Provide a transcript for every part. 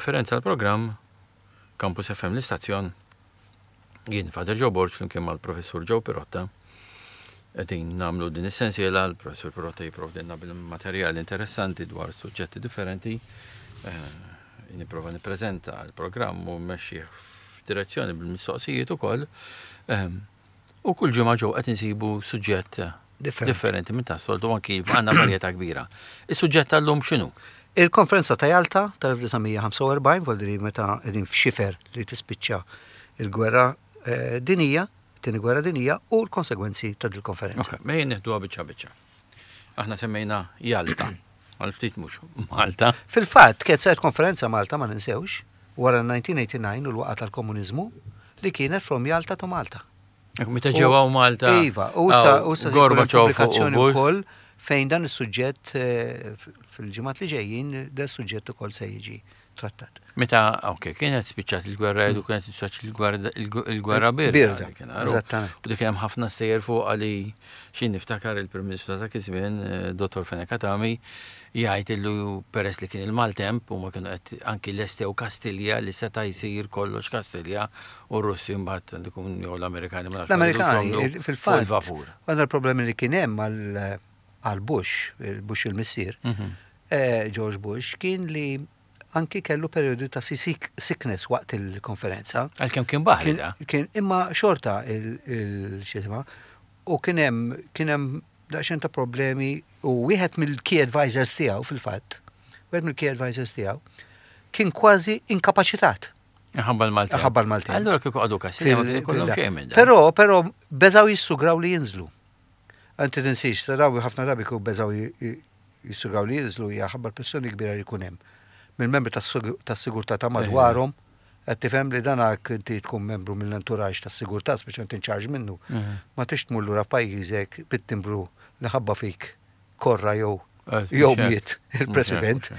Differenza l-programm, Campus FM l-istazzjon, jien Father Joe Borg flimkien mal-Professur Joe Pirotta qegħdin nagħmlu din is-sensiela, l-Professur Pirotta jipprovdilna bil-materjal interessanti dwar suġġetti differenti. Eh, nipprova nippreżenta l-programm u mmexxih f'direzzjoni bil-mistoqsijiet ukoll. Ehm, U kull ġimgħa ġew qed insibu suġġett differenti minn tas-soltu anki għandna varjetà kbira. Is-suġġett tal-lum x'inhu? Il-konferenza ta' Jalta tal-1945, voldiri meta qegħdin f'xifer li tispiċċa il-gwerra eh, dinija, tieni gwerra dinija u l-konsegwenzi ta' dil-konferenza. Ok, mejn neħduha biċċa biċċa. Aħna semmejna Jalta, għal ftit mhux Malta. Fil-fatt, kienet saret konferenza Malta ma ninsewx, wara 1989 u l-waqa tal-komuniżmu li kienet from Jalta to Malta. Meta ġew hawn Malta. Iva, u sa u sa pubblikazzjoni wkoll fejn dan is-suġġett eh, fil-ġimgħat li ġejjin dan is-suġġett ukoll se jiġi trattat. Meta, ok, kienet spiċċat il-gwerra u kienet spiċċat il-gwerra birda. Eżattament. U dik hemm ħafna sejjer fuq li xi niftakar il-Prim Ministru ta' dak iż-żmien, eh, Dottor Fenech Adami, jgħid illu peress li kien il-maltemp u ma kienu qed anki lestew Kastilja li seta' jsir kollox Kastilja u r-Russi mbagħad dikun jew l-Amerikani ma nafx. L-Amerikani fil-fatt. Il-vapur. Għandna l-problemi li kien hemm għal Bush, Bush il-missier, mhm. eh, George Bush, kien li anki kellu periodu ta' sickness waqt il-konferenza. Għalkemm kien baħri Kien imma xorta il-xisma u kien hemm kien hemm daqsxejn ta' problemi u wieħed mill-key advisors tiegħu fil-fatt, wieħed mill-key advisors tiegħu kien kważi inkapaċitat. Ħabba l-Malti. Ħabba l-Malti. Allora kieku għadu Kastilja ma kien xejn minn Però, però beżaw jissugraw li jinżlu. Anti tinsiex, ta' daw ħafna drabi kieku beżaw jissugraw li jinżlu hija ħabba l-pressjoni kbira li jkun hemm mill-membri tas-sigurtà ta' madwarhom Qed tifhem li dan għak inti tkun membru mill-entourage tas-sigurtà, speċjalment in charge minnu, mhm. ma tix tmur lura f'pajjiżek bit-timbru li ħabba fik korra jew eh, jew miet il-president.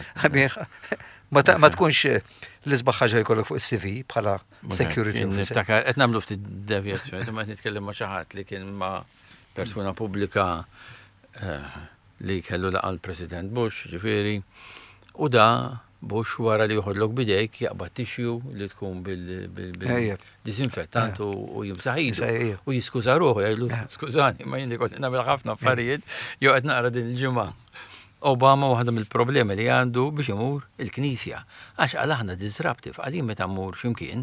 Ma tkunx eh, l-isbaħ ħaġa jkollok fuq is-CV bħala security officer. Niftakar, qed nagħmlu ftit devjazzjoni, ma qed nitkellem ma' xi ħadd li kien ma' persuna pubblika eh, li kellu laqa l-President Bush, ġifieri, u da Bush wara li joħodlok bidejk jaqbad tissue li tkun bil-disinfettant u jimsaħ idu. U jiskuża ruħu jgħidlu skużani ma jien ikolli nagħmel ħafna affarijiet jew qed naqra din il-ġimgħa. Obama waħda mill-problemi li għandu biex imur il-knisja. Għax għal aħna disruptive, għal jien meta mmur x'imkien.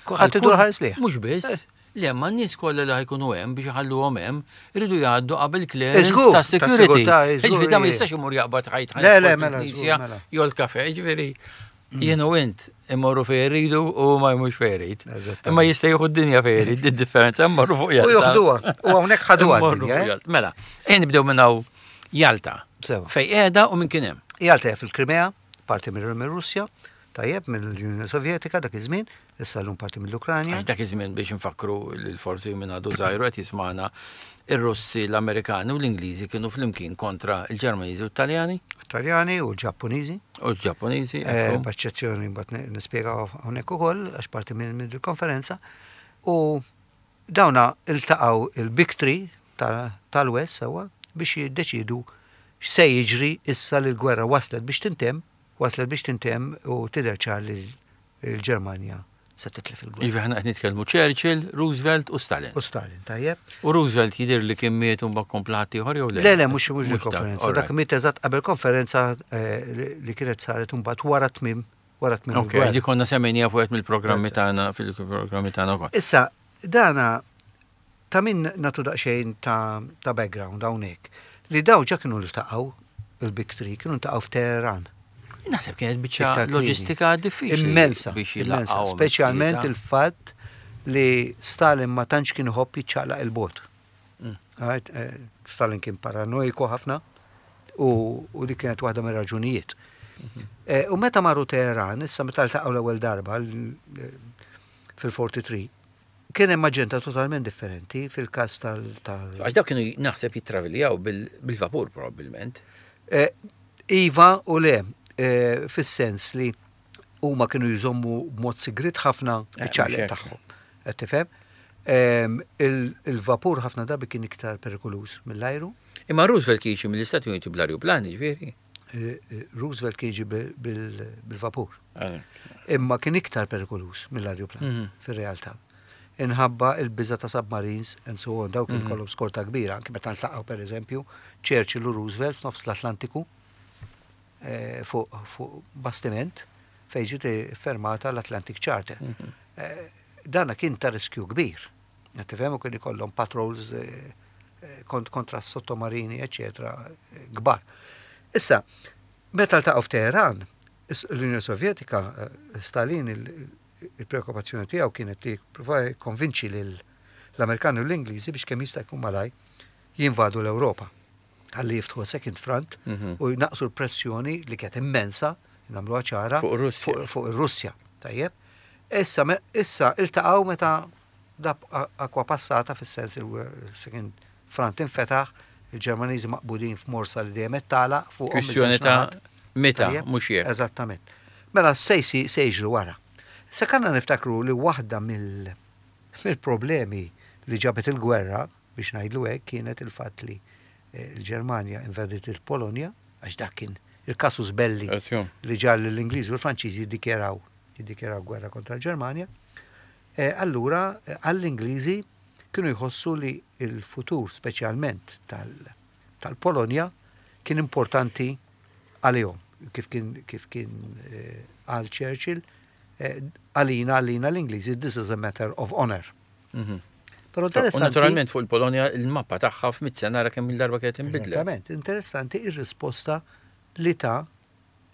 Kulħadd idur ħares lih. Mhux biss, Le, ma n-nies kollha li ħajkunu hemm biex iħalluhom hemm iridu jgħaddu qabel clearance ta' security. Ġifieri da ma jistax imur jaqbad ħajt Le, le, mela, knisja jew l-kafe, ġifieri mm. jien u int imorru fejn iridu u ma jmux fejn irid. Imma jista' jieħu d-dinja fejn irid, id-differenza mmorru fuq Jalta. U joħduha, u hawnhekk ħaduha d-dinja. Eh? Mela, ejn nibdew minn hawn Jalta. Fej qiegħda u minn kien hemm. Jalta fil-Krimea, parti mir-Russja, tajjeb mill-Unjoni Sovjetika dak iż-żmien, issa llum parti mill-Ukranja. Għax dak iż-żmien biex nfakru lil forsi minn għadu żgħir qed jismagħna ir-Russi, l-Amerikani u l-Ingliżi kienu flimkien kontra l-Ġermaniżi u t-Taljani. Taljani u l-Ġappuniżi. U l-Ġappuniżi. Eh, b'eċċezzjoni mbagħad nispjega hawnhekk ukoll għax parti minn il-konferenza. U dawna iltaqgħu il-Big Three tal-West sewwa biex jiddeċiedu x'se jiġri issa li l-gwerra waslet biex tintemm, waslet biex tintemm u tidher ċar li l-Ġermanja se titlef il-gwerra. Iva aħna qed nitkellmu Churchill, Roosevelt u Stalin. U Stalin, tajjeb. U Roosevelt jidher li kien miet u mbagħad kompla ħaddieħor jew le? Le, le, mhux mhux il-konferenza. Dak miet eżatt qabel konferenza eh, li kienet saret mbagħad wara tmiem wara tmiem. Ok, di konna semmejnija fuq mill-programmi tagħna fil-programmi tagħna wkoll. Issa, dana Ta' min nagħtu daqsxejn ta' ta' background hawnhekk, li dawn ġa kienu ltaqgħu, il-Big Three, kienu ltaqgħu f'Teheran. Naħseb kienet biċċa loġistika diffiċli. Immensa, immensa, speċjalment il-fatt li Stalin ma tantx kien iħobb jiċċaqlaq 'il bogħod. Mm. Eh, Stalin kien paranoiku ħafna u dik kienet waħda mir-raġunijiet. Mhm. Eh, u meta marru Teheran, issa meta ltaqgħu l-ewwel darba fil-43, Kien hemm aġenda totalment differenti fil-każ tal. Għax dawk kienu naħseb jittraviljaw bil-vapur probabbilment. Eh, iva u le, eh, fis-sens li huma kienu jżommu b'mod sigrit ħafna eh, iċ-ċaqliq tagħhom. Qed tifhem? Ehm, il-vapur ħafna drabi kien iktar perikoluż mill-ajru. Imma Roosevelt jiġi mill-Istati Uniti bl-arjuplani, ġifieri. Roosevelt kien jiġi bil-vapur. Imma kien iktar perikoluż mill-ajruplan fir-realtà. Inħabba il-biża ta' submarines and so on, dawk kien ikollhom skorta kbira, anke meta ntlaqgħu pereżempju Churchill u Roosevelt f'nofs l-Atlantiku fuq bastiment fejn ġiet fermata l-Atlantic Charter. Dana kien ta' riskju kbir. Qed tifhem u kien ikollhom patrols kontra s-sottomarini, eċetera, kbar. Issa, meta ltaqgħu f'Teheran, l-Unjoni Sovjetika, Stalin il-preokkupazzjoni tiegħu kienet li jipprova jikkonvinċi lill-Amerikani u l-Ingliżi biex kemm jista' jkun malaj jinvadu l-Ewropa. Ħalli jiftħu second front u jnaqsu l-pressjoni li kienet immensa, nagħmluha ċara, fuq ir-Russja. Tajjeb. Issa, issa iltaqgħu meta dab akwa passata fis-sens il-second front infetaħ, il-Ġermaniżi maqbudin f'morsa li dejjem qed tagħlaq fuqhom. Kwistjoni ta' meta, mhux jekk. Eżattament. Mela se jiġri wara. Issa kanna niftakru li waħda mill-problemi li ġabet il-gwerra, biex ngħidlu hekk, kienet il-fatt li l-Ġermanja invadiet il-Polonja, għax dak kien il-casus belli li ġal l-Ingliżi u l-Franċiżi jiddikjaraw jiddikjaraw gwerra kontra l-Ġermanja. Allura għall-Ingliżi kienu jħossu li l-futur speċjalment tal-Polonja kien importanti għalihom, kif kien kif kien qal Churchill, għalina għalina l-Ingliżi this is a matter of honor. Però interessanti. Naturalment fuq il-Polonja il-mappa tagħha f'mitt sena ara kemm il-darba kienet inbidlet. Eżattament, interessanti ir-risposta li ta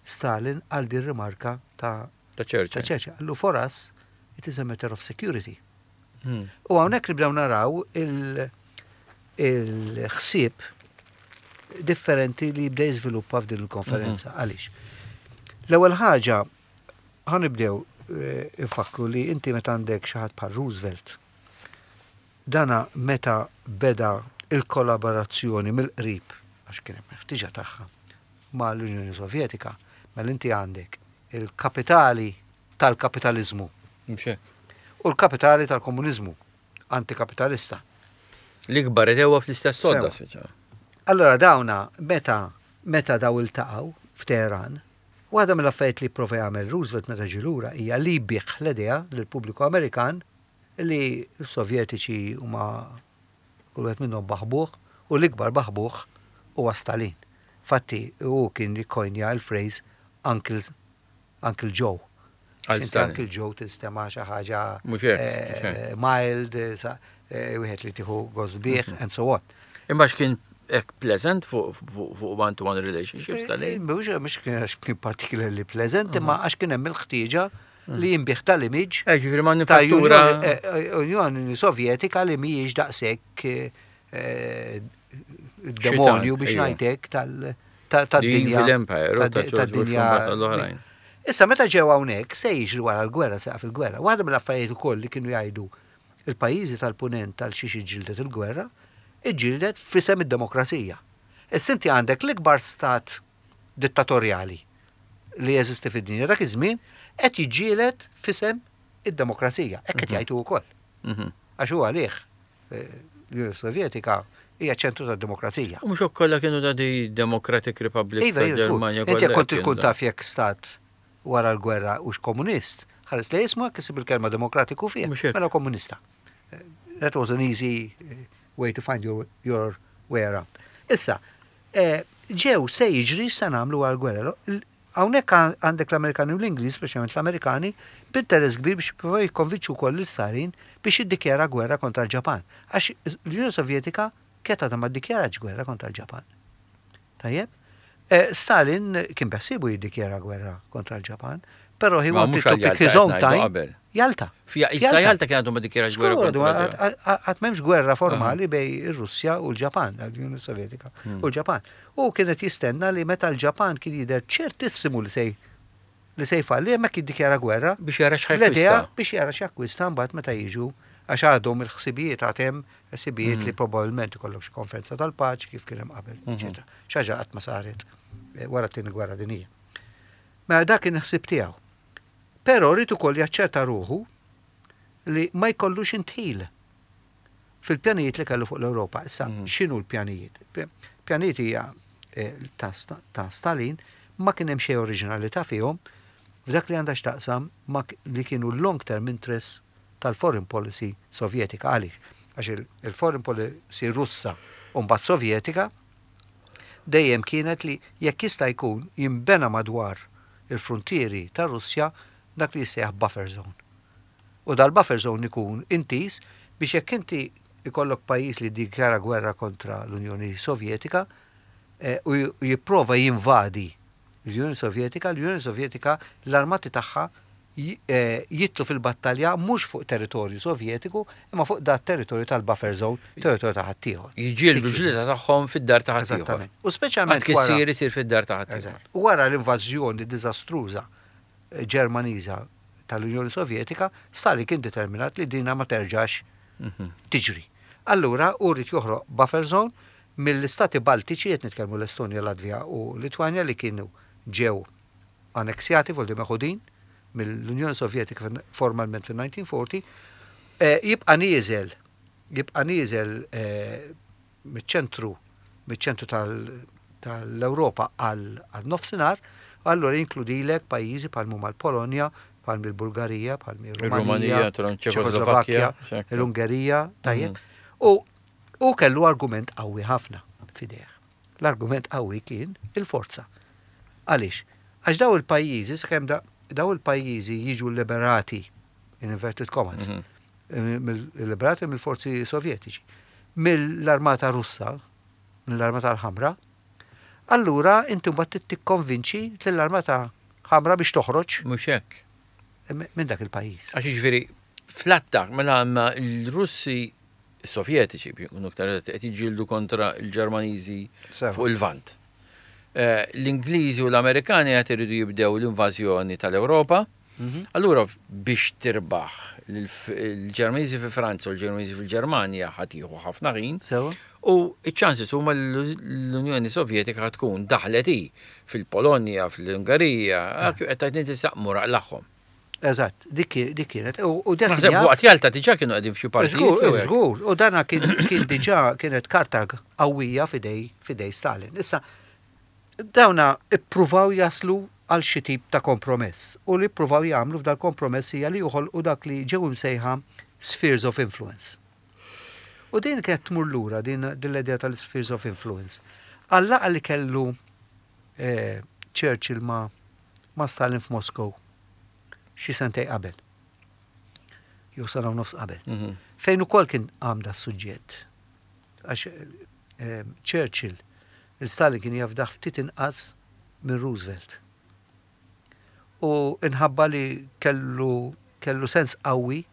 Stalin għal din rimarka ta' Ta' Churchill. Ta' Churchill. Qallu for us it is a matter of security. U hawnhekk nibdew naraw il-ħsieb differenti li jibda jiżviluppa f'din il-konferenza. Għaliex? L-ewwel ħaġa ħa nibdew infakru li inti meta għandek xi ħadd bħal Roosevelt, dana meta beda il-kollaborazzjoni mill-qrib, għax kien hemm ħtiġa tagħha, mal-Unjoni Sovjetika, mela inti għandek il-kapitali tal-kapitaliżmu. Mhux hekk. U l-kapitali tal-komuniżmu antikapitalista. L-ikbar edewa fl-istess sodda speċa. Allora dawna meta meta daw iltaqgħu f'Teheran, waħda mill-affarijiet li pprova jagħmel Roosevelt meta ġie lura hija li jbigħ l-idea lill-pubbliku Amerikan li s-Sovjetiċi huma kull wieħed minnhom baħbuħ u l-ikbar baħbuħ huwa Stalin. Fatti hu kien jikkoinja l-phrase Uncle Uncle Joe. Għal Inti Stalin. Uncle Joe tinstema' xi ħaġa Mhux hekk, mhux hekk. mild, wieħed li tieħu gost bih, and so on. Imma x'kien hekk pleasant fuq one-to-one relationships Stalin? Mhux mhux kien għax kien particularly pleasant, imma għax kien hemm il-ħtieġa li jinbih tal-image Ġifieri ta' manifattura. Unjoni Sovjetika li mhijiex daqshekk demonju biex ngħidlek tad-dinja. Evil Empire, u ta' George Bush tad-dinja. u mbagħad l-oħrajn. Issa meta ġew hawnhekk se jiġri wara l-gwerra, se fil-gwerra. Waħda mill-affarijiet ukoll li kienu jgħidu il-pajjiżi tal-punent tal xiex iġġieldet il-gwerra, iġġieldet f'isem id-demokrazija. Issa inti għandek l-ikbar stat dittatorjali li jeżisti fid-dinja dak iż-żmien qed jiġġieled f'isem id-demokrazija. Hekk qed jgħidu wkoll. Għax hu għalih l-Unjoni Sovjetika hija ċentru tad-demokrazija. U mhux hekk kollha kienu ta' di Democratic Republic Iva, ta' iva, żgur. Ġermanja Inti kollha jekk kont kienu tkun ta' taf jekk stat wara l-gwerra hux komunist, ħares li jisma' kisib il-kelma demokratiku fih, Mhux hekk. mela komunista. That was an easy way to find your, your way around. Issa, ġew se jiġri se nagħmlu wara l-gwerra. Hawnhekk għandek l-Amerikani u l-Ingliż, speċjalment l-Amerikani, b'interess kbir biex jippruvaw jikkonvinċu wkoll lil Stalin biex jiddikjara gwerra kontra l-Ġapan. Għax l-Unjoni Sovjetika kienet għadha ma ddikjaratx gwerra kontra l-Ġapan. Tajjeb? Stalin kien beħsiebu jiddikjara gwerra kontra l-Ġapan, però he Ma wanted mhux to għal pick Jalta his qed own ngħidu time. qabel. Jalta. Fija, issa Jalta kien għadu ma ddikjarax gwerra Żgur, kontra l-Ġapan. għad m'hemmx gwerra formali bej ir-Russja u l-Ġapan, l-Unjoni Sovjetika u l-Ġapan. U kienet jistenna li meta l-Ġapan kien jidher ċertissimu li se li se jfalli hemmhekk jiddikjara gwerra. Biex jara L-idea x'ħajkwista. biex jara x'jakkwista mbagħad meta jiġu għax għadhom il-ħsibijiet għad hemm ħsibijiet li probabbilment ikollok xi konferenza tal-paċi kif kien hemm qabel, eċetera. Xi ħaġa qatt ma saret wara t-tieni gwerra dinjija. Mela dak kien il-ħsieb tiegħu. Però rrid ukoll jaċċerta ruħu li ma jkollux intħil fil-pjanijiet li kellu fuq l-Ewropa. Issa, x'inhu l-pjanijiet? Pjanijiet hija ta' Stalin ma kien hemm xejn oriġinalità fihom f'dak li għandha x'taqsam ma' li kienu l-long term interests tal-foreign policy Sovjetika. Għaliex? Għax il-foreign policy Russa u mbagħad Sovjetika dejjem kienet li jekk jista' jkun jinbena madwar il-fruntieri tar-Russja dak li jissejjaħ buffer zone. U dal-buffer zone ikun intiż biex jekk inti ikollok pajjiż li jiddikjara gwerra kontra l-Unjoni Sovjetika u jipprova jinvadi l-Unjoni Sovjetika, l-Unjoni Sovjetika l-armati tagħha jidħlu fil-battalja mhux fuq territorju Sovjetiku imma fuq dat territorju tal-buffer zone, territorju ta' ħaddieħor. Jiġġieldu l-ġlieda tagħhom fid-dar ta' ħaddieħor. Eżattament. U speċjalment wara. Għad isir fid-dar ta' ħaddieħor. Eżatt. U wara l-invażjoni diżastruża Ġermaniża tal-Unjoni Sovjetika, Stalin kien determinat li dina ma terġax tiġri. Allura hu ried joħloq buffer zone mill-istati Baltiċi, qed nitkellmu l-Estonja, Latvja u Litwanja li kienu ġew anneksjati, vuol dire meħudin mill-Unjoni Sovjetika formalment fin-1940, jibqa' nieżel, jibqa' nieżel miċ-ċentru, miċ-ċentru tal-Ewropa għal nofsinhar, allura jinkludilek pajjiżi bħal huma l-Polonja, bħal il-Bulgarija, bħal ir-Rumanija, Ċekoslovakkja, l-Ungerija, tajjeb. U u kellu argument qawwi ħafna f'idejh. L-argument qawwi kien il-forza. Għaliex? Għax daw il-pajjiżi, sakemm daw il-pajjiżi jiġu liberati, in inverted commas, liberati mill-forzi sovjetiċi, mill-armata russa, mill-armata l-ħamra, allura inti mbagħad tikkonvinċi lill-armata ħamra biex toħroġ. Mhux hekk. Minn dak il-pajjiż. Għax jiġifieri fl-attak mela l-Russi Sovjetiċi biex ikunu aktar qed jiġġieldu kontra l-Ġermaniżi fuq il-Lvant. L-Ingliżi u l-Amerikani qed iridu jibdew l-invażjoni tal-Ewropa. Allura biex tirbaħ l-Ġermaniżi fi Franza u l-Ġermaniżi fil-Ġermanja ħa tieħu ħafna ħin. U ċ-chances huma l-Unjoni Sovjetika tkun daħlet hi fil-Polonja, fl-Ungerija, qed tgħid inti saqmu raqlaħħom. Eżatt, dik kienet. U dak Naħseb waqt Jalta diġà kienu qegħdin f'xi partijiet. Żgur, żgur, u dana kien diġà kienet karta qawwija f'idej Stalin. Issa, dawna ippruvaw jaslu għal xi tip ta' kompromess. U li ippruvaw jagħmlu f'dal kompromess hija li joħolqu dak li ġew imsejħa spheres of influence. U din kienet tmur lura din l-idea tal-spheres of influence. Għal-laqgħa li kellu Churchill ma' Stalin f'Moskow xi sentej qabel. Jew sena u nofs qabel. Fejn ukoll kien qam da suġġett. Għax Churchill, il-Stalin kien jafdah ftit inqas minn Roosevelt. U inħabba li kellu sens qawwi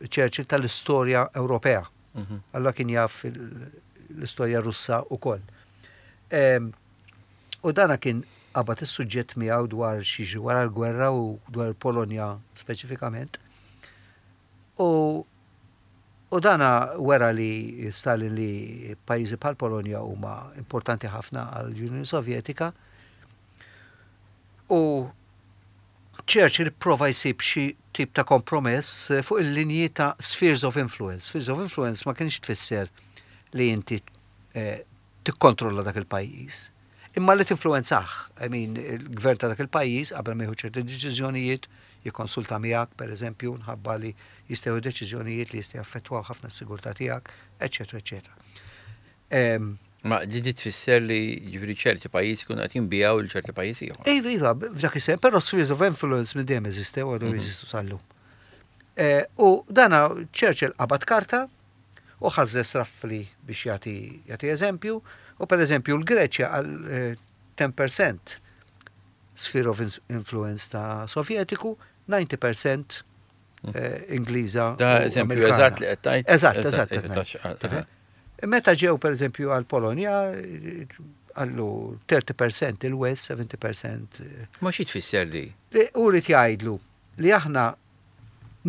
Churchill tal-istorja Ewropea. Allora kien jaf l-istorja Russa ukoll. U dana kien qabad is-suġġett miegħu dwar xi wara l-gwerra u dwar il-Polonja speċifikament. U dana wera li Stalin li pajjiżi bħal Polonja huma importanti ħafna għall-Unjoni Sovjetika. U Churchill prova jsib xi tip ta' kompromess fuq il-linji ta' spheres of influence. Spheres of influence ma kienx tfisser li inti tikkontrolla dak il-pajjiż. Imma li tinfluenzah, I mean, il-gvern ta' dak il-pajjiż qabel ma jieħu ċerti deċiżjonijiet, jikkonsulta miegħek, per eżempju, nħabba li jistgħu deċiżjonijiet li jistgħu jaffettwaw ħafna s-sigurtà tiegħek, eċetera, eċetera. Ma di tfisser li ġifieri ċerti pajjiżi kienu qed jinbijaw lil ċerti pajjiżi ieħor. Iva, iva, f'dak is però spheres of influence minn dejjem eżistew għadhom jeżistu sal-lum. U dana Churchill qabad karta u ħażżeż roughly biex jagħti eżempju, u per eżempju l-Greċja għal 10% sphere of influence ta' Sovjetiku, 90% Ingliża. Da eżempju eżatt li qed tgħid. Eżatt. Meta ġew per eżempju għal Polonja, għallu 30% il-West, 70%. Ma xi tfisser li? Li u ried jgħidlu li aħna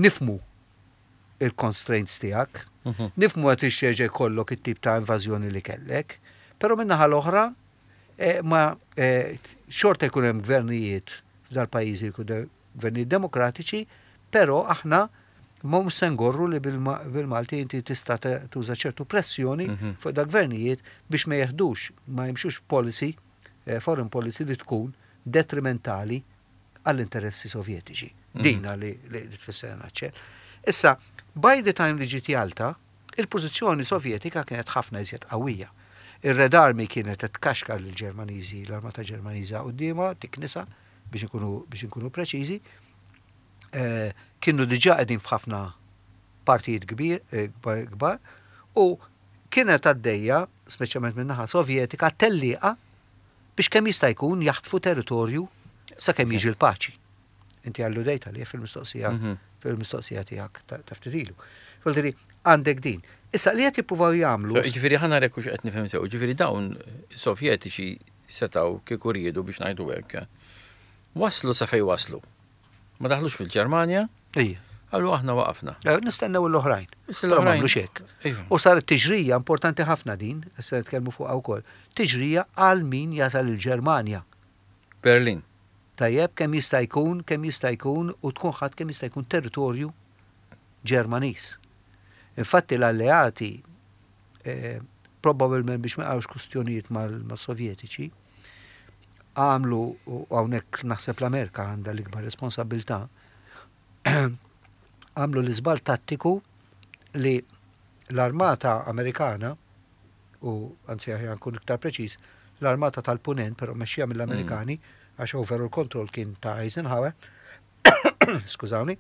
nifmu il-constraints tiegħek, nifmu għat ixxeġe kollok it-tip ta' invażjoni li kellek, pero minnaħa l-oħra ma xorta jkun hemm gvernijiet f'dal-pajjiżi jkun gvernijiet demokratiċi, pero aħna Ma mhux se ngorru li bil-Malti inti tista' tuża ċertu pressjoni mhm. fuq da gvernijiet biex ma jeħdux, ma jimxux policy, eh, foreign policy li tkun detrimentali għall-interessi sovjetiċi. Mhm. Dina li tfisser naċċel. Issa, by the time li ġiet Jalta, il-pożizzjoni sovjetika kienet ħafna iżjed qawwija. Ir-Red Army kienet qed tkaxkar lill-Ġermaniżi, l-armata Ġermaniża quddiemha, tiknisa biex inkunu biex inkunu preċiżi. Eh, kienu diġà qegħdin f'ħafna partijiet kbir eh, kbar u kienet għaddejja, speċjalment min-naħa Sovjetika, tellieqa biex kemm jista' jkun jaħtfu territorju sakemm jiġi l-paċi. Inti alludejt għalih fil-mistoqsija mhm. fil-mistoqsija tiegħek ta' ftit ilu. Vuol għandek din. Issa li qed jippruvaw jagħmlu. Ġifieri ħa nara hux qed nifhem sew, ġifieri dawn Sovjetiċi setgħu kieku riedu biex ngħidu hekk. Waslu sa fejn waslu. Ma daħlux fil-Ġermanja. Ija. Għallu aħna waqafna. Eh, nistennew l-oħrajn. Però ma għamlux hekk. U saret tiġrija importanti ħafna din, issa nitkellmu fuqha wkoll. Tiġrija għal min jasal il-Ġermanja. Berlin. Tajjeb, kemm jista' jkun, kemm jista' jkun u tkun ħadd kemm jista' jkun territorju Ġermaniż. Infatti l-alleati eh, probabbilment biex ma jaqgħux kustjonijiet mal-Sovjetiċi, għamlu u hawnhekk naħseb l-Amerika għandha l-ikbar responsabilità, għamlu l-iżball tattiku li l-armata Amerikana u anzi aħjar nkun iktar preċiż, l-armata tal-Punent, però mexxija mill-Amerikani, mm. għax overall control kien ta' Eisenhower, skużawni,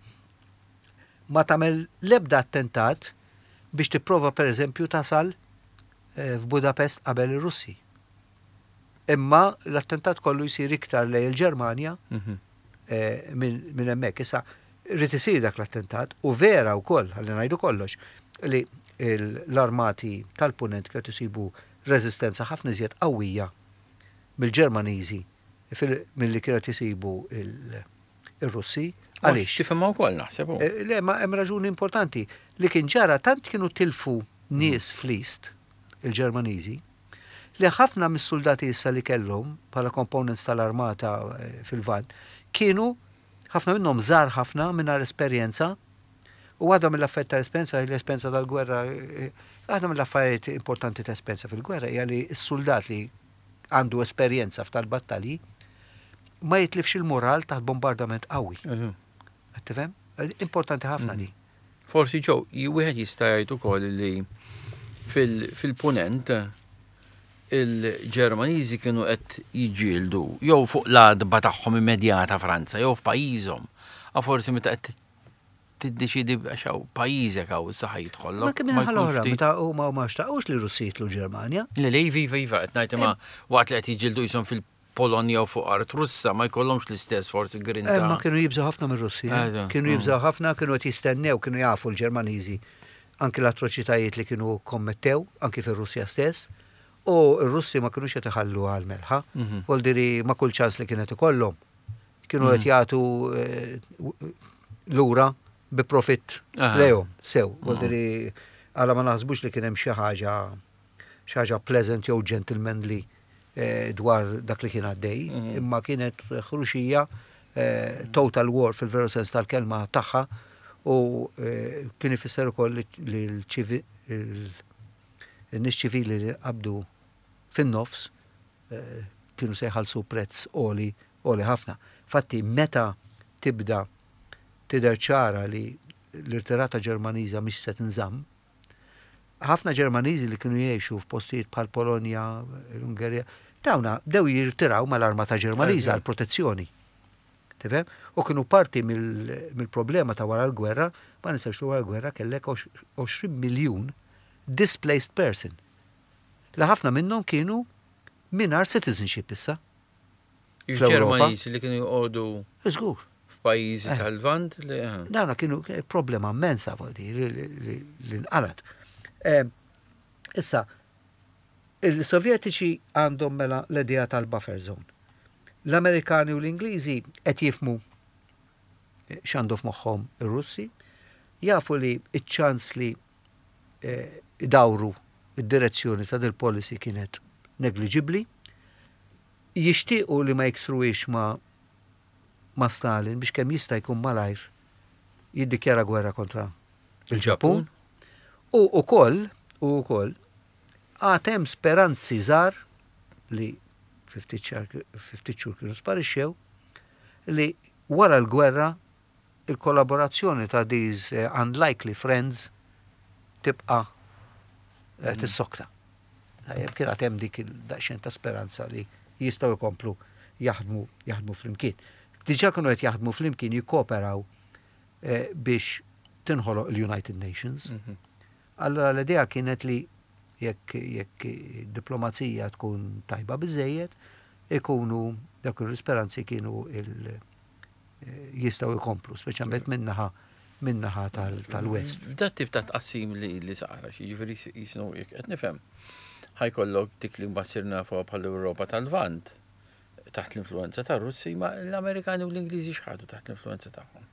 ma tagħmel l-ebda attentat biex tipprova pereżempju tasal eh, f'Budapest qabel ir-Russi. Imma l-attentat kollu jsir iktar lejn il-Ġermanja mhm. eh, minn hemmhekk. Issa rrid isir dak l-attentat u vera wkoll ħalli ngħidu kollox li l-armati tal-punent kienu isibu reżistenza ħafna iżjed qawwija mill-Ġermaniżi milli kienu isibu il-Russi. Għaliex? Tifhimha wkoll naħseb. Eh, le, ma hemm raġuni importanti li kien ġara tant kienu tilfu nies fl-East, il-Ġermaniżi, li ħafna mis-suldati issa li kellhom bħala components tal-armata eh, fil-Lvant kienu ħafna minnhom żgħar ħafna mingħajr esperjenza u waħda mill-affarijiet tal-esperjenza l-esperjenza tal-gwerra eh, waħda mill-affarijiet importanti ta' esperjenza fil-gwerra hija li s-suldat li għandu esperjenza f'tal-battalji ma jitlifx il-moral taħt bombardament qawwi. Mhm. Qed tifhem? Importanti ħafna mhm. di. Forsi ġew, wieħed jista' jgħid ukoll li fil-punent il-Ġermaniżi kienu qed jiġġieldu jew fuq l-għadba tagħhom immedjata Franza jew f'pajjiżhom. A forsi meta qed tiddeċidi għax hawn pajjiżek hawn issa ħa jidħollok. Ma kemm naħa l-oħra meta huma ma xtaqux li Russi jitlu Ġermanja. Le le iva iva iva qed ngħid imma waqt li qed jiġġieldu qishom fil Polonja u fuq art Russa ma jkollhomx l-istess forsi grinta. Eh, ma kienu jibżgħu ħafna mir-Russi. Eh. Eh, kienu mm. jibżgħu ħafna, kienu qed jistennew, kienu jafu l-Ġermaniżi anki l-atroċitajiet li kienu kommettew, anki fir-Russja stess. U r-Russi ma kinux qed iħallu għal melħa. Mhm. Voldiri ma kull ċans li kienet ikollhom. Kienu qed mhm. jagħtu lura bi profitt lejhom sew. Mhm. Voldiri għala ma naħsbux li kien hemm xi ħaġa xi ħaġa pleasant jew gentlemanly eh, dwar dak li kien għaddej, mhm. imma kienet ħruxija eh, total war fil-veru sens tal-kelma tagħha u eh, kien ifisser ukoll li l-nies ċivili li qabdu fin-nofs kienu se jħallsu prezz għoli għoli ħafna. Fatti meta tibda tidher ċara li l-irtirata Ġermaniża mhix se tinżamm, Ħafna Ġermaniżi li kienu jgħixu f'postijiet bħal Polonja, l-Ungerija, dawna bdew jirtiraw mal-armata Ġermaniża għal protezzjoni. Tifhem? U kienu parti mill-problema ta' wara l-gwerra, ma ninsewx li wara l-gwerra kellek 20 miljun displaced person. Li ħafna minnhom kienu mingħajr citizenship issa. Il-Ġermaniżi li kienu joqogħdu. Żgur. F'pajjiżi eh. tal-Lvant li. Eh. Dawna kienu problema immensa voldi li nqalat. Eh, issa, il-Sovjetiċi għandhom mela l-idea tal-buffer zone. L-Amerikani u l-Ingliżi qed jifmu x'għandu f'moħħhom ir-Russi, jafu li ċ-ċans li idawru d-direzzjoni ta' dil-policy kienet negliġibbli. Jixtiequ li ma jiksruhiex ma' ma' Stalin biex kemm jista' jkun malajr Jiddikjara gwerra kontra il-Ġappun. U ukoll, u ukoll, għad hemm speranzi żgħar li fi ftit xhur kienu sparixxew li wara l-gwerra il-kollaborazzjoni ta' these eh, unlikely friends tibqa' eh, tissokta. Tajjeb, kien għad hemm dik il-daqsxejn ta' speranza li jistgħu jkomplu jaħdmu jaħdmu flimkien. Diġà kienu qed jaħdmu flimkien jikkooperaw eh, biex tinħoloq il-United Nations. Mhm. Allora l-idea kienet li jekk jekk diplomazija tkun tajba biżejjed, ikunu dak l-isperanzi kienu il eh, jistgħu jkomplu, speċjalment minnaħa min-naħa tal-West. Dat tip ta' tqassim li sara, jiġifieri jisnu jekk qed nifhem. Ħa jkollok dik li mbagħad sirna nafuha bħal Ewropa tal-Lvant taħt l-influenza tar-Russi, ma l-Amerikani u l-Ingliżi x'ħadu taħt l-influenza tagħhom?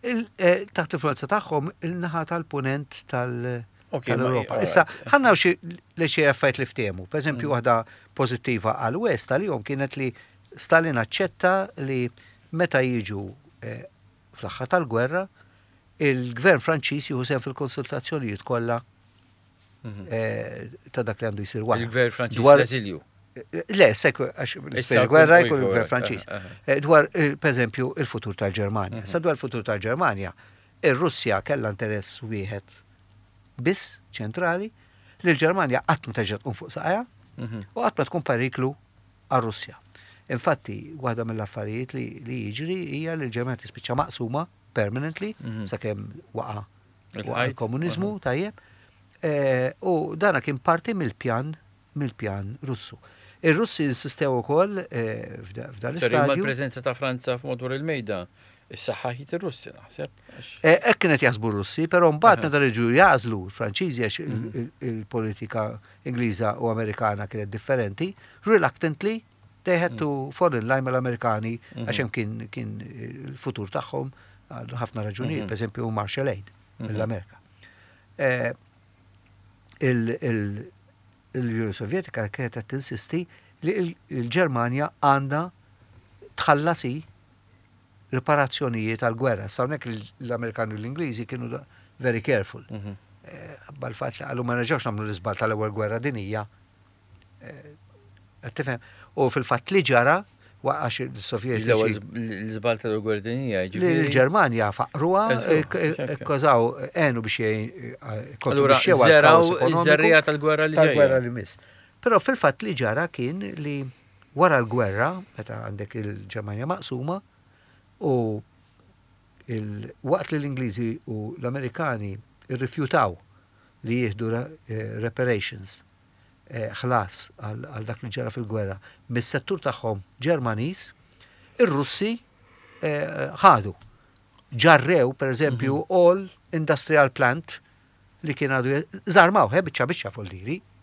Eh, taħt l-influenza tagħhom il-naħa tal-punent tal-Europa. Issa, ħanna xi li xi affarijiet li ftehmu. Per eżempju, mm. waħda pożittiva għal-West għalihom kienet li Stalin aċċetta li meta jiġu eh, fl-aħħar tal-gwerra, il-gvern Franċiż jieħu sehem fil-konsultazzjonijiet kollha mhm. eh, ta' dak li għandu jsir wara. Il-gvern Franċiż dwar l-eżilju. Eh, le, sekk, għax il-gwerra jkun il-gvern Franċiż. Eh, dwar, per eżempju, il-futur tal-Ġermanja. Mhm. Sa dwar il-futur tal-Ġermanja, ir-Russja kellha interess wieħed biss ċentrali li l-Ġermanja qatt ma terġa' tqum fuq saqajha mhm. u qatt ma tkun periklu għar-Russja. Infatti, waħda mill-affarijiet li, li jiġri hija li l-Ġermanja tispiċċa maqsuma permanently mm -hmm. sakemm waqa' il-komuniżmu mhm. tajjeb. E, u dana kien parti mill-pjan mill-pjan Russu. Ir-Russi insistew ukoll e, f'dan l-istadju. Il-preżenza ta' Franza f'madwar il-mejda is-saħħaħit ir-Russi naħseb. E, hekk kienet jaħsbu r-Russi, però mbagħad meta reġgħu jażlu l-Franċiżi għax mhm. il-politika Ingliża u Amerikana kienet differenti, reluctantly they had to fall in line mal-Amerikani mhm. għax hemm kien kien il-futur tagħhom għal ħafna raġunijiet, mhm. per eżempju Marshall Aid mhm. mill-Amerika. Eh, l-Unjoni Sovjetika kienet qed tinsisti li l-Ġermanja għandha tħallas riparazzjonijiet għall-gwerra. Issa hawnhekk l-Amerikani u l-Ingliżi kienu very careful. Mhm. Eh, bal-fatt li qalu ma nerġgħux nagħmlu l-iżball tal-ewwel gwerra dinija. Eh, tifhem? U fil-fatt li ġara waqax il-Sovjetiċi. L-iżball tal-ewwel gwerra dinija ġifieri. L-Ġermanja faqruha, eh, kkożaw għenu biex kontribwixxew għal Żerriegħa tal-gwerra li Tal-gwerra li miss. Però fil-fatt li ġara kien li Wara l-gwerra, meta għandek il-Ġermanja maqsuma, u waqt li l-Ingliżi u l-Amerikani rrifjutaw li jieħdu eh, reparations, eh, ħlas għal dak li ġara fil-gwerra mis-settur tagħhom Ġermaniż, ir-Russi eh, ħadu. Ġarrew, per eżempju, mhm. all industrial plant li kien għadu żarmaw, he biċċa biċċa fuq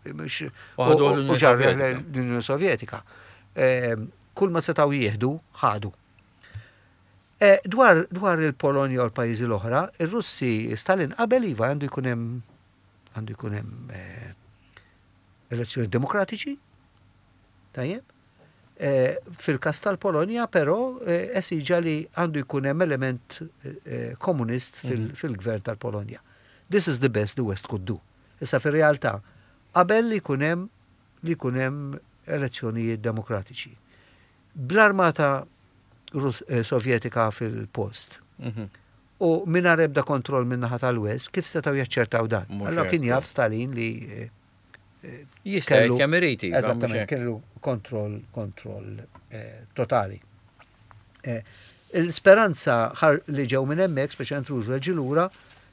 U ġarrew l-Unjoni Sovjetika. Ehm, kull ma setgħu jieħdu, ħadu. Eh, dwar, dwar il-Polonja u l-pajjiżi l-oħra, ir-Russi Stalin qabel iva għandu jkun hemm għandu jkun hemm eh, elezzjoni demokratiċi. Tajjeb. Eh, fil-każ tal-Polonja però eh, esiġa li għandu jkun hemm element eh, komunist mhm. fil-gvern tal-Polonja. This is the best the West could do. Issa fir-realtà, qabel li jkun hemm li jkun hemm elezzjonijiet demokratiċi. Bl-armata Sovjetika fil-post. Mhm. U mingħajr ebda kontroll min-naħa tal-West, kif setgħu jaċċertaw dan? Allora kien jaf Stalin li Jista' jgħid kemm irid. Iva, Eżattament, kellu kontroll kontroll eh, totali. Eh, il-speranza li ġew minn hemmhekk, speċjalment Roosevelt ġie lura,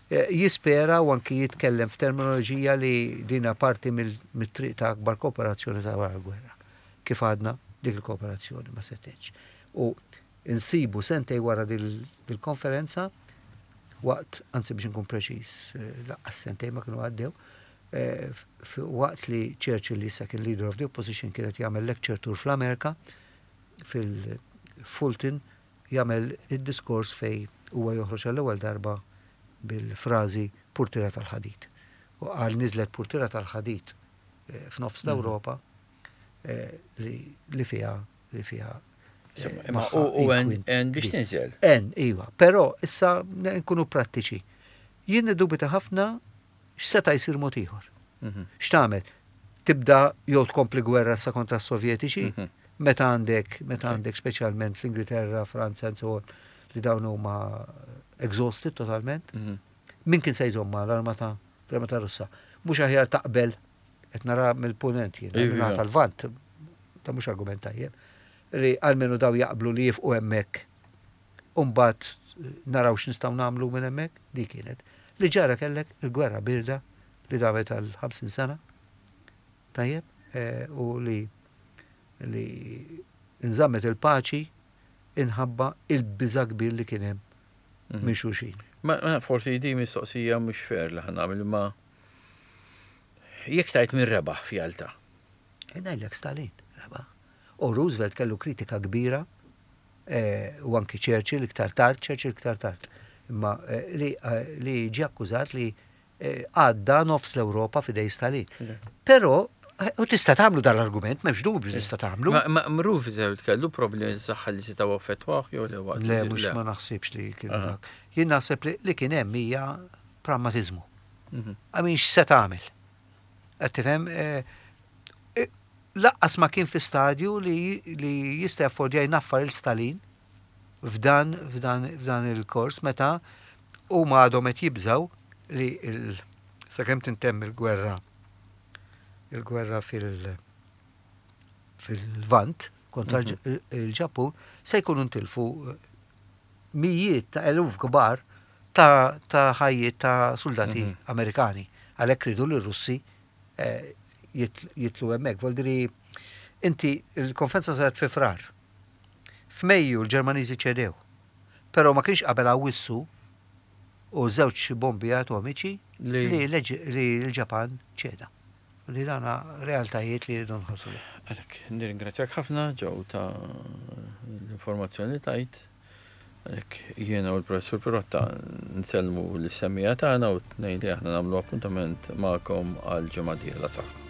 eh, jispera u anki jitkellem f'terminoloġija li dina parti mill-triq ta' akbar kooperazzjoni ta' wara l-gwerra. Kif għadna dik il-kooperazzjoni ma setgħetx. U insibu sentej wara dil-konferenza, waqt, anzi biex nkun preċiż, laqqas sentej ma kienu għaddew, waqt li Churchill li issa kien leader of the opposition kien qed jagħmel lecture tour fl-Amerika, fil-Fulton jagħmel id-diskors fejn huwa joħroġ għall-ewwel darba bil-frażi purtiera tal-ħadid. U qal niżlet purtiera tal-ħadid f'nofs l-Ewropa li fiha li fiha. Imma u għen biex tinżel. Għen, iva. Però issa nkunu prattiċi. Jien niddubita ħafna x'seta' jsir mod ieħor. Mhm. X'tagħmel? Tibda jew tkompli gwerra sa kontra s-Sovjetiċi, mhm. meta għandek, meta għandek speċjalment l-Ingilterra, Franza, and so on, li dawn huma exhausted totalment. Mhm. Min kien se jżomma l-armata l-armata Russa? Mhux aħjar taqbel qed nara mill-punent jien, iva. tal-Lvant, ta' mhux argument tajjeb, li almenu daw jaqblu li jifqu hemmhekk u mbagħad naraw x'nistgħu nagħmlu minn hemmhekk, dik kienet. Li ġara kellek il-gwerra birda li damet għal 50 sena, tajjeb, eh, u li li nżammet il-paċi inħabba il-biża kbir li kien hemm mhm. minn xulxin. Ma forsi di mistoqsija mhux fair li ħa nagħmel ma jekk tajt minn rebaħ f'Jalta. Ngħidlek Stalin rebaħ. U Roosevelt kellu kritika kbira eh, u anki Churchill iktar tard, Churchill iktar tard. Imma eh, li, eh, li ġie akkużat li għadda nofs l-Ewropa f'idej Stalin. Però u tista' tagħmlu dal-argument, m'hemmx dubju tista' tagħmlu. Ma Roosevelt kellu problemi saħħa li setgħu affettwah jew le waqt. Le, mhux ma naħsibx li kien dak. Jien naħseb li kien hemm hija pragmatiżmu. Mhm. Għamin x'se tagħmel? Qed tifhem? Eh, eh, laqqas ma kien fi stadju li jista' jaffordja jnaffar il-Stalin f'dan f'dan f'dan il-kors meta huma għadhom qed jibżgħu li sakemm tintemm il-gwerra il-gwerra fil fil-Lvant kontra mhm. il-Ġappun se jkunu ntilfu eh, mijiet ta' eluf kbar ta' ta' ħajjiet ta' soldati mhm. Amerikani. Għalhekk ridu li r-Russi eh, jitlu hemmhekk. Voldiri inti il-konferenza saret fi Frar. F'Mejju l-Ġermaniżi ċedew. Però ma kienx qabel Awwissu u żewġ bombi atomiċi li l-Ġapan ċeda. Li dana realtajiet li rridu nħarsu lejhom. Għalhekk nirringrazzjak ħafna Joe ta' l-informazzjoni li tajt. Għalhekk jiena u l-Professur Pirotta nsellmu lis-semmiegħa tagħna u tnejn li aħna nagħmlu appuntament magħkom għal ġimgħa dieħla. Saħħa.